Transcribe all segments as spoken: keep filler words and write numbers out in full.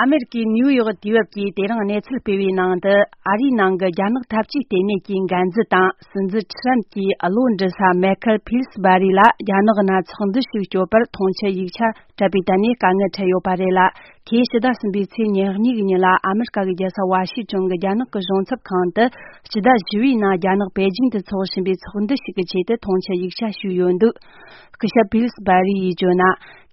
ཨ་མེ་རི་ཀའི་ནིའུ་ཡོག་དུས་བབ་ཀྱིས་དེ་རིང་གནས་ཚུལ་སྤེལ་བའི་ནང་དུ། ཨ་རིའི་ནང་གི་རྒྱ་ནག་འཐབ་ཇུས་ལྟེ་གནས་ཀྱི་འགན་འཛིན་དང་སྲིད་འཛིན་ཁྲི་རམ་གྱི་བློ་འདྲི་ས་མེ་ཁལ་ཕིལ་སི་བྷ་རི་ལ་རྒྱ་ནག་ནང་ཚོགས་འདུ་ཞིག་གཅོད་པར་མཐོང་ཆེན་ཡིག་ཆ་སྤྲད་པའི་ཐད་ནས་དཀའ་ངལ་འཕྲད་ཡོད་པ་རེད་ལ། ཁོས་ཕྱི་ཟླ་གསུམ་པའི་ཚེས་ཉེར་གཉིས་ཀྱི་ཉིན་ལ་ཨ་མེ་རི་ཀ་གི་རྒྱལ་ས་ཝ་ཤིང་ཊོན་གྱི་རྒྱ་ནག་གི་གཞུང་ཚབ་ཁང་དུ། ཕྱི་ཟླ་བཞི་པའི་ནང་རྒྱ་ནག་པེ་ཅིང་དུ་འཚོགས་བཞིན་པའི་ཚོགས་འདུ་ཞིག་གི་ཆེད་དུ་མཐོང་ཆེན་ཡིག་ཆ་ཞུས་ཡོད་འདུག་སྐུ་ཞབས་ཕིལ་སི་བྷ་རི་ཡིས་བརྗོད་ན།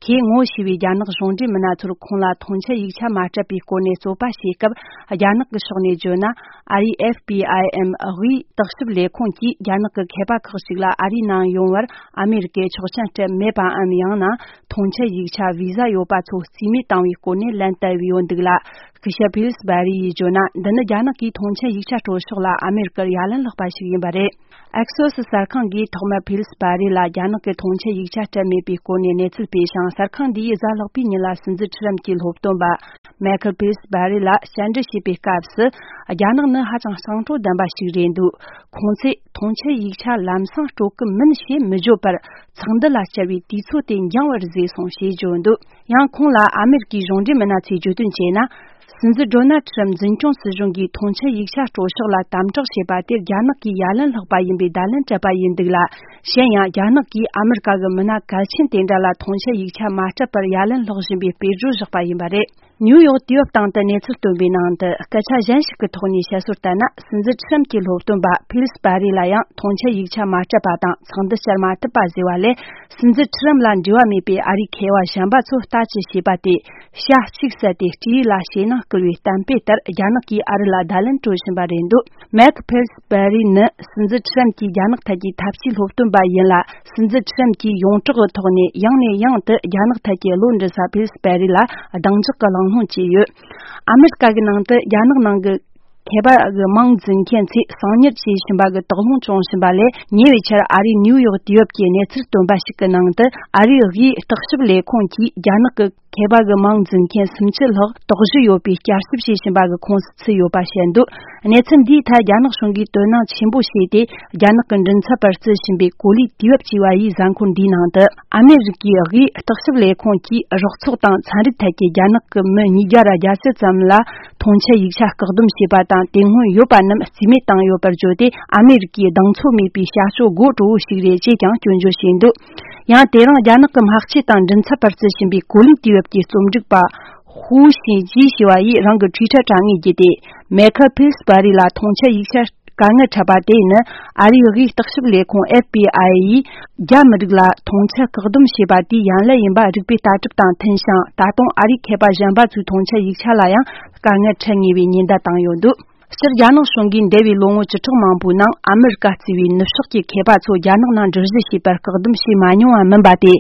ཁོས་ངོ་ཤེས་པའི་རྒྱ་ནག་གཞུང་འབྲེལ་མི་སྣ་ཚོར་ཁོང་ལ་མཐོང་ཆེན་ཡིག་ཆ་མ་སྤྲད་པའི་སྐོར་ནས་རྩོད་པ་བྱེད་སྐབས། རྒྱ་ནག་གི་ཕྱོགས་ནས་བརྗོད་ན། ཨ་རིའི་ཨེཕ་པི་ཨའི་ཨེམ་དབུས་བརྟག་ཞིབ་ལས་ཁུངས་ཀྱིས་རྒྱ་ནག་གི་མཁས་པ་ཁག་ཅིག་ལ་ཨ་རིའི་ནང་ཡོང་བར་ཨ་མེ་རི་ཀས་ཆོག་མཆན་སྤྲད་མེད་པའམ། ཡང་ན་མཐོང་ཆེན་ཡིག་ཆ་བི་ཟ་ཡོད་པ་ཚོ་རྩིས་མེད་བཏང་བའི་སྐོར་ནས་ལན་བསྟར་བའི་ཡོད་འདུག་ལ། སྐུ་ཞབས་ཕིལ་སི་བྷ་རི་ཡིས་བརྗོད་ན། འདི་ནི་རྒྱ་ནག་གིས་མཐོང་ཆེན་ཡིག་ཆ་སྤྲོད་ཕྱོགས་ལ་ཨ་མེ་རི་ཀར་ཡ་ལན་ལྷག་པ་ཞིག་ཡིན་པ་རེད། ཨེག་སོ་སི་གསར་ཁང་གིས་ཐོག་མར་ཕིལ་སི་བྷ་རི་ལ་རྒྱ་ནག་གི་མཐོང་ཆེན་ཡིག་ཆ་སྤྲད་མེད་པའི་སྐོར་ནས་གནས་ཚུལ་སྤེལ་ཞིང་། གསར་ཁང་འདིས་གཟའ་ལྷག་པའི་ཉིན་ལ་སྲིད་འཛིན་ཁྲི་རམ་གྱི་སློབ་སྟོན་པ་མེ་ཁལ་ཕིལ་སི་བྷ་རི་ལ་བཅར་འདྲི་བྱེད་པའི་སྐབས་སུ། རྒྱ་ནག་ནི་ཧ་ཅང་གཙང་སྤྲོ་ལྡན་པ་ཞིག་རེད་འདུག་ཁོང་ཚོས་མཐོང་ཆེན་ཡིག་ཆ་ལམ་སང་སྤྲོད་ཀྱི་མིན་ཞེས་མི་བརྗོད་པར། ཚོགས་འདུ་ལ་བཅར་བའི་དུས་ཚོད་དེ་འགྱངས་པར་བཟོས་སོང་ཞེས་བརྗོད་འདུག་ཡང་ཁོང་ལ་ཨ་མེ་རི་ཀའི་གཞུང་འབྲེལ་མི་སྣ་ཚོས་བརྗོད་དོན་བྱས་ན། སྲིད་འཛིན་ཌོ་ནལ་ཁྲི་རམ་འཛིན་སྐྱོང་སྲིད་གཞུང་གིས་མཐོང་ཆེན་ཡིག་ཆ་སྤྲོད་ཕྱོགས་ལ་དམ་དྲག་བྱས་པ་དེ་རྒྱ་ནག་གིས་ཡ་ལན་ལྷག་པ་ཡིན་པའི་བརྡ་ལན་སྤྲད་པ་ཡིན་འདུག་ལ། གཞན་ཡང་རྒྱ་ནག་གིས་ཨ་མེ་རི་ཀ་གི་མི་སྣ་གལ་ཆེན་དེ་འདྲ་ལ་མཐོང་ཆེན་ཡིག་ཆ་མ་སྤྲད་པར་ཡ་ལན་སློག་བཞིན་པའི་དཔེ་བརྗོད་བཞག་པ་ཡིན་པ་རེད། ནིའུ་ཡོག་དུས་བབ་སྟེང་དུ་གནས་ཚུལ་བཏོན་པའི་ནང་དུ། སྐད་ཆ་གཞན་ཞིག་གི་ཐོག་ནས་བཤད་སྲོལ་ལྟར་ན། སྲིད་འཛིན་ཁྲི་རམ་གྱི་སློབ་སྟོན་པ་ཕིལ་སི་བྷ་རི་ལ་ཡང་མཐོང་ཆེན་ཡིག་ཆ་མ་སྤྲད་པ་དང་ཚོགས་འདུ་བཅར་མ་ཐུབ་པ་ཟེར་བ་ལས། སྲིད་འཛིན་ཁྲི་རམ་ལ་འབྲེལ་བ་མེད་པའི་ཨ་རིའི་མཁས་པ་གཞན་པ་ཚོ་ལྟ་ཅི་བྱེད་པ་དེ། ཤ་གཅིག་བསད་དེ་སྤྲེའུ་ལ་ཞེད་སྣང་སྐུལ་བའི་གཏམ་དཔེ་ལྟར། རྒྱ་ནག་གིས་ཨ་རི་ལ་བརྡ་ལན་སྤྲོད་བཞིན་པ་རེད་འདུག་མེག་ཕེལ་སི་བྷེ་རི་ནི་སྲིད་འཛིན་ཁྲི་རམ་གྱི་རྒྱ་ནག་ཐད་ཀྱི་ཐབས་ཇུས་སློབ་སྟོན་པ་ཡིན་ལ། སྲིད་འཛིན་ཁྲི་རམ་གྱིས་ཡོངས་གྲགས་ཀྱི་ཐོག་ནས་ཡང་ནས་ཡང་དུ་རྒྱ་ནག་ཐད་ཀྱི་བློ་འདྲི་ས་ཕེལ་སི་བྷེ་རི་ལ་གདེང་འཇོག་གི་གླེང་སློང་བྱས་ཡོད། ཨ་མེ་རི་ཀ་གི་ནང་དུ་རྒྱ་ནག་ནང་གི་མཁས་པ་གི་མིང་འཛིན་མཁན་ཚོས་གསང་ཉུལ་བྱེད་བཞིན་པ་གི་དོགས་སློང་བྱུང་བཞིན་པ་ལས། ཉེ་བའི་ཆར་ཨ་རིའི་ནིའུ་ཡོག་དུས་བབ་ཀྱི་གནས་ཚུལ་སྟོན་པ་ཞིག་གི་ནང་དུ། ཨ་རིའི་དབུས་བརྟག་ཞིབ་ལས་ཁུངས་ཀྱིས་རྒྱ་ནག་གི་མཁས་པ་གི་མིང་འཛིན་མཁན་སུམ་ཅུ་ལྷག་དོགས་གཞི་ཡོད་པའི་བསྐྱར་ཞིབ་བྱེད་བཞིན་པ་གི་ཁོངས་སུ་ཚུད་ཡོད་པ་བཤད་འདུག་གནས་ཚུལ་འདིའི་ཐད་རྒྱ་ནག་གཞུང་གིས་དོ་སྣང་ཆེན་པོ་བྱས་ཏེ། རྒྱ་ནག་གི་མགྲིན་ཚབ་པར་བརྩི་བཞིན་པའི་གོ་ལའི་དུས་བབ་ཅེས་པ་ཡི་གཟའ་འཁོར་འདིའི་ནང་དུ། ཨ་མེ་རི་ཀའི་དབུས་བརྟག་ཞིབ་ལས་ཁུངས་ཀྱིས་རོགས་ཚོགས་དང་ཚན་རིག་ཐད་ཀྱི་རྒྱ་ནག་གི་མི་ཉིས་བརྒྱ་ར་བརྒྱད་ཅུ་ཙམ་ལ་མཐོང་ཆེན་ཡིག་ཆ་བཀག་སྡོམ་བྱས་པ་དང་། དེ་སྔོན་ཡོད་པ་རྣམས་རྩིས་མེད་བཏང་ཡོད་པར་བརྗོད་དེ། ཨ་མེ་རི་ཀའི་གདེང་ཚོད་མེད་པའི་བྱ་སྤྱོད་དགོད་བྲོ་བོ་ཞིག་རེད་ཅེས་ཀྱང་སྐྱོན་བརྗོད་བྱས་འདུག་ཡང་དེ་རིང་རྒྱ་ནག་གི་སྨྲ་བརྗོད་དང་མགྲིན་ཚབ་པར་བརྩི་བཞིན་པའི་གོ་ལའི་དུས་བབ་ཀྱི་རྩོམ་སྒྲིག་པ་ཧུའུ་ཤིན་ཅི་ཞེས་པ་ཡིས་རང་གི་ཊུའི་ཊར་དྲ་ངོས་བརྒྱུད་དེ། མེ་ཁལ་ཕིལ་སི་བྷ་རི་ལ་མཐོང་ཆེན་ཡིག་ཆ་དཀའ་ངལ་འཕྲད་པ་དེ་ནི། ཨ་རིའི་དབུས་བརྟག་ཞིབ་ལས་ཁུངས་ཨེཕ་པི་ཨའི་ཡིས་རྒྱ་མི་རིགས་ལ་མཐོང་ཆེན་བཀག་སྡོམ་བྱས་པ་དེའི་ཡ་ལན་ཡིན་པ་རིགས་པའི་ལྟ་གྲུབ་དང་མཐུན་ཞིང་། ད་དུང་ཨ་རིའི་མཁས་པ་གཞན་པ་ཚོས་མཐོང་ཆེན་ཡིག་ཆ་ལ་ཡང་དཀའ་ངལ་འཕྲད་ངེས་པའི་ཉེན་བརྡ་བཏང་ཡོད་འདུག་སྤྱིར་རྒྱ་ནག་གཞུང་གིས་འདས་པའི་ལོ་ངོ་བཅུ་ཕྲག་མང་པོའི་ནང་ཨ་མེ་རི་ཀ་གཙོས་པའི་ནུབ་ཕྱོགས་ཀྱི་མཁས་པ་ཚོ་རྒྱ་ནག་ནང་འགྲུལ་བཞུད་བྱེད་པར་བཀག་སྡོམ་བྱས་མ་མྱོང་བ་མིན་པ་དེ།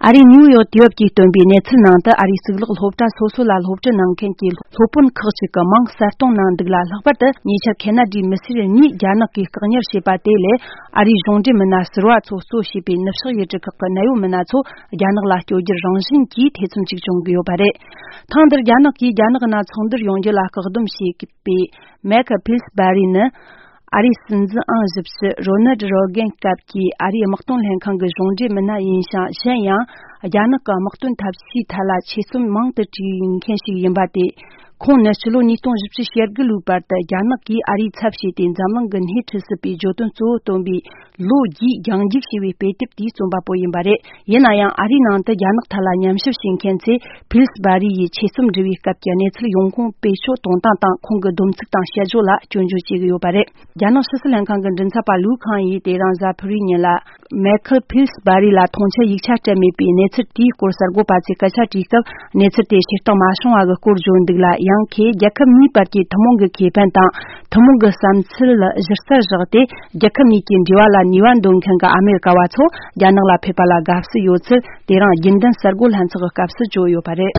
ཨ་རིའི་ནིའུ་ཡོག་དུས་བབ་ཀྱིས་བཏོན་པའི་གནས་ཚུལ་ནང་དུ། ཨ་རིའི་གཙུག་ལག་སློབ་གྲྭ་སོ་སོ་ལ་སློབ་ཁྲིད་གནང་མཁན་གྱི་སློབ་དཔོན་ཁག་ཅིག་གི་མིང་གསལ་སྟོན་གནང་འདུག་ལ། ལྷག་པར་དུ་ཉེ་ཆར་ཁེ་ན་ཌིའི་མི་སེར་གཉིས་རྒྱ་ནག་གིས་བཀག་ཉར་བྱས་པ་དེ་ལས། ཨ་རིའི་གཞུང་འབྲེལ་མི་སྣ་ཟུར་པ་ཚོ་གཙོ་བྱས་པའི་ནུབ་ཕྱོགས་ཡུལ་གྲུ་ཁག་གི་གནད་ཡོད་མི་སྣ་ཚོ་རྒྱ་ནག་ལ་བསྐྱོད་རྒྱུར་རང་བཞིན་གྱིས་ཐེ་ཚོམ་ཅིག་བྱུང་གི་ཡོད་པ་རེད། ཐེངས་འདིར་རྒྱ་ནག་གིས་རྒྱ་ནག་ནང་ཚོགས་འདུར་ཡོང་རྒྱུ་ལ་བཀག་སྡོམ་བྱས་པའི་མེག་ཕིལ་སི་བྷ་རི་ནི། ཨ་རིའི་སྲིད་འཛིན་ཨང་བཞི་བཅུ་རོ་ནལ་རོ་གན་སྐབས་ཀྱི་ཨ་རིའི་དམག་དོན་ལྷན་ཁང་གི་གཞུང་འབྲེལ་མི་སྣ་ཡིན་ཞིང་། གཞན་ཡང་རྒྱ་ནག་གི་དམག་དོན་ཐབས་ཇུས་ཐད་ལ་ཆེད་རྩོམ་མང་དུ་བྲིས་མཁན་ཞིག་ཡིན་པ་སྟེ། ཁོང་ནི་ཕྱི་ལོ་ཉིས་སྟོང་བཞི་བཅུ་ཞེ་དགུ་ལོའི་བར་དུ་རྒྱ་ནག་གིས་ཨ་རིའི་ཚབ་བྱས་ཏེ་འཛམ་གླིང་གི་སྣེ་ཁྲིད་སྲིད་པའི་བརྗོད་དོན་གཙོ་བོ་བཏོན་པའི་ལོ་རྒྱུས་རྒྱང་རྒྱུག་ཞེས་པའི་དཔེ་དེབ་དེའི་རྩོམ་པ་པོ་ཡིན་པ་རེད། ཡིན་ན་ཡང་། ཨ་རིའི་ནང་དུ་རྒྱ་ནག་ཐད་ལ་ཉམས་ཞིབ་བྱེད་མཁན་ཚོས་ཕིལ་སི་བྷ་རི་ཡི་ཆེད་རྩོམ་འབྲི་བའི་སྐབས་ཀྱི་གནས་ཚུལ་ཡོང་ཁུངས་བེད་སྤྱོད་གཏོང་སྟངས་དང་། ཁོང་གི་སྡོམ་ཚིག་དང་བཤད་སྦྱོར་ལ་སྐྱོན་བརྗོད་བྱེད་ཀྱི་ཡོད་པ་རེད། རྒྱ་ནག་ཕྱི་སྲིད་ལྷན་ཁང་གི་མགྲིན་ཚབ་པ་ལུའུ་ཁང་ཡིས་དེ་རིང་གཟའ་ཕུར་བུའི་ཉིན་ལ། མེ་ཁལ་ཕིལ་སི་བྷ་རི་ལ་མཐོང་ཆེན་ཡིག་ཆ་སྤྲད་མེད་པའི་གནས་ཚུལ་དེའི་སྐོར་གསར་འགོད་པ་ཚོས་སྐད་ཆ་དྲིས་སྐབས། གནས་ཚུལ་དེ་ཇུས་གཏོགས་མ་བྱུང་བ་གི་སྐོར་བརྗོད་འདུག་ལ། ཡང་ཁོས་རྒྱལ་ཁབ་གཉིས་བར་གྱི་ཐུན་མོང་གི་ཁེ་ཕན་དང་། ཐུན་མོང་གི་བསམ་ཚུལ་གཞི་རྩར་བཞག་སྟེ། རྒྱལ་ཁབ་གཉིས་ཀྱི་འབྲེལ་བ་ལ་ནུས་པ་འདོན་མཁན་གྱི་ཨ་མེ་རི་ཀ་བ་ཚོ་རྒྱ་ནག་ལ་ཕེབས་པ་ལ་དགའ་བསུ་ཡོད་ཚུལ། དེ་རིང་རྒྱུན་ལྡན་གསར་འགོད་ལྷན་ཚོགས་ཀྱི་སྐབས་སུ་བརྗོད་ཡོད་པ་རེད།